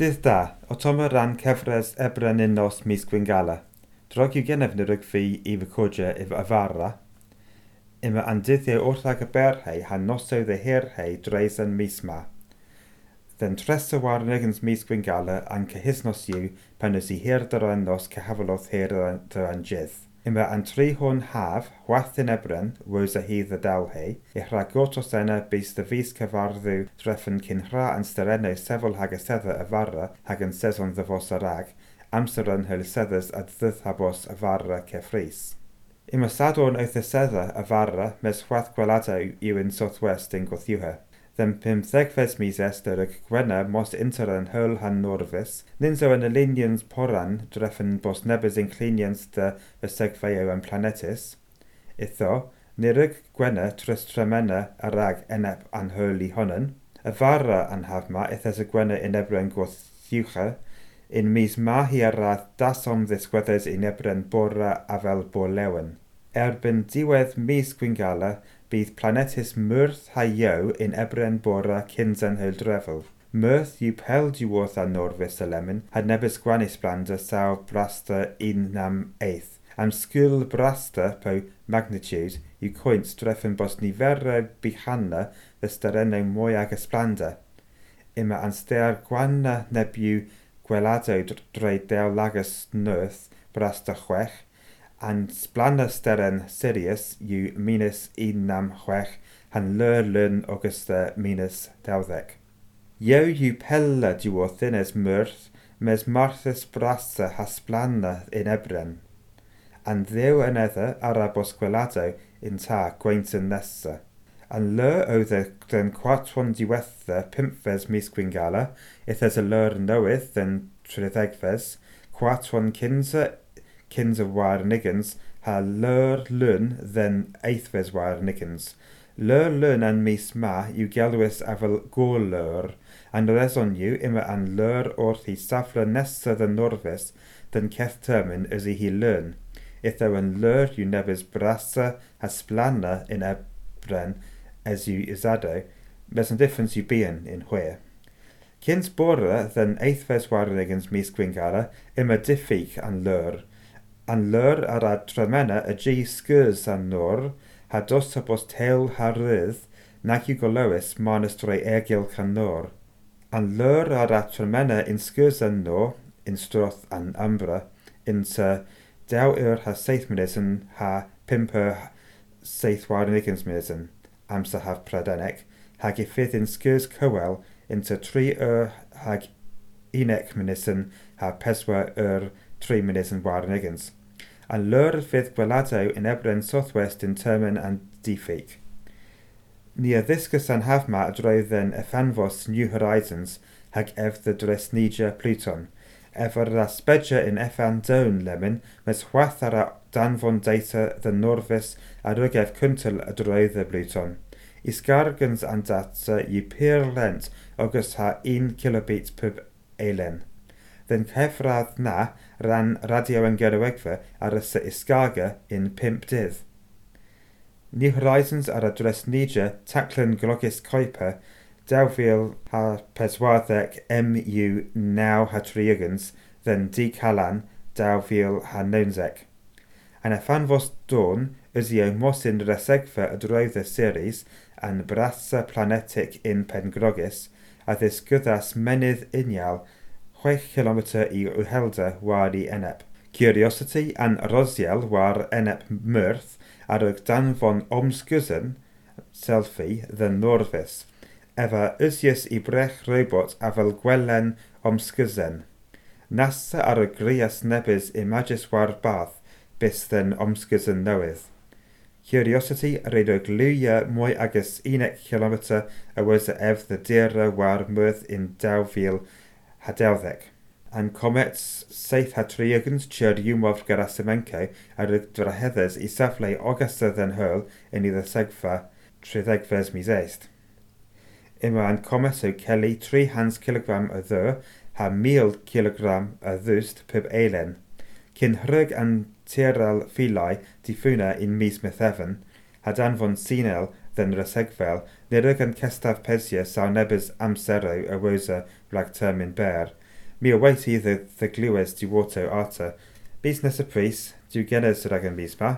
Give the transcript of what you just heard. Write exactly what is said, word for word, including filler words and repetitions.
Dydd da, o Tom ran cyfres Ebren nos mis Gwingala. Drog yw gennyf yn yr fi i recordio efo afara. Yma an dyddiau wrth ag y berhei han nosoedd y hirhei dreis yn mis ma. Then tresa warnigans mis Gwingala an cyhysnos yw pan ys i hir dyran nos cyhafalodd hir dyran jydd. Yma an tri hwn haf, chwath yn ebren, wos a hydd y dalhei, i rhagotos ena bys dy fus cyfarddu drefn cyn hra an sterennau sefol hag y sedda y fara hag yn sezon ddyfos arag, amser yn hyl seddys a ddyddhabos y fara cefrys. Yma sadwrn oedd y sedda y fara mes chwath gweladau yw yn Southwest yn gwthiwha. Then pymthegfes mis Esther y Gwenna mos inter yn hyl han norfus, ninso yn y poran drefen bos nebys inclinians de fysegfeio yn planetis. Itho, niryg Gwenna tris tremena arag enep an hyl i honan. Y fara an hafma ithes y Gwenna in ebren gwthiwcha, in mis mahi arath dasom ddisgweddes in ebren bora afel borlewen. Erbyn diwedd mis Gwingala, bydd planetus Myrth ha Io in ebren bora cynsan hyldrefel. Myrth yw pel diwrth a norfus y lemon, had nebys gwanis blanda saw brasta un nam eith. Am sgil brasta po magnitude yw coint drefen bos niferau bihanna ddysterennau mwy ag ysblanda. Yma anster gwanna nebiw gwelado dreu dew lagus nyrth brasta chwech, an splana steren Sirius yw minus un nam chwech han lur lun Augusta minus dawddeg. Io yw pella diwrth es Myrth mes Marthus brasa hasplana in ebren. An ddew yn edda arabos gwelado in ta gweintyn nesa. An lur oedd den cwartwan diwetha pimpfes mis Gwingala, ithes y lur newydd den triddegfes, cwartwan cynsa cynsa war niggins, ha lur lun then eithfes war niggins. Lur lun an mis ma yw gelwys afel gorlur, an reson yw ima an lur wrth i safle nesa den norfus den ceth termin ys i hi lun. Itho an lur yw nebys brasa hasplana in ebren as yw isado, mes an difference yw bian in hwyr. Cyns bora den eithfes war niggins mis Gwingala ima diffyg an lur. An lur ar a tremena y g sgwrs an nor, ha dos ha bos teil ha rydd, nag yw golowys manus drwy ergylch an nor. An lur ar a tremena in sgwrs an nor, in stroth an umbra, in ta daw ur ha seith minuten ha pimp ur seith war nigans minuten, amser haf pradenec, hag i in sgwrs cywel in ta tri ur hag unec minuten ha peswa ur tri minuten war niggins. An lur fydd gwelado in ebren southwest in termin and diffyg. Ni a ddisgus an hafma a droedd yn ethanfos New Horizons hag ef the dresnija Pluton. Ef ar aspedia in effan down lemon, mes chwath ar a danfon data the norfus a rygef cyntyl a droedd y Pluton. Isgargans an data yw pur lent ogys ha un kilobit pub eilen. Then cyfradd na ran radio yn gyrwegfa ar y isgaga in pimp dydd. New Horizons ar y dresnija taclyn glogis Kuiper daw fil ha peswarddeg M U naw ha triagans then D Calan daw fil ha nonsec. An ethanfos dawn ysio mosyn resegfa y droedd y series an brasa planetic in Pengrogis a ddisgyddas menydd unial chwech kilometr i uhelda war i enep. Curiosity an Rosiel war enep Myrth ar y danfon omsgwsyn selfie the Norfus. Efa ysius i brech robot afel gwelen omsgwsyn. Nasa ar y grias nebys imagis war bath bys then omsgwsyn newydd. Curiosity reid o glwia mwy agos unec kilometr a was ef the dera war Myrth in daw fil hadawddeg. An comets seith ha triagans Churyumov Gerasimenko ar y draheddes i safle ogasta den hyl yn i ddysegfa triddegfes mis eist. Yma an comet o celi tri hans kilogram y ddwy ha mil kilogram y ddwst pub eilen. Cyn hryg an tiral filau diffwna in mis Methefin, ha danfon sinel den resegfel, nirug an cestaf pesia saw nebys amsero y wosa rag termin ber. Mi a wait i the, the glywes di water arta. Mis nesa pris, diw genes rag y mis ma.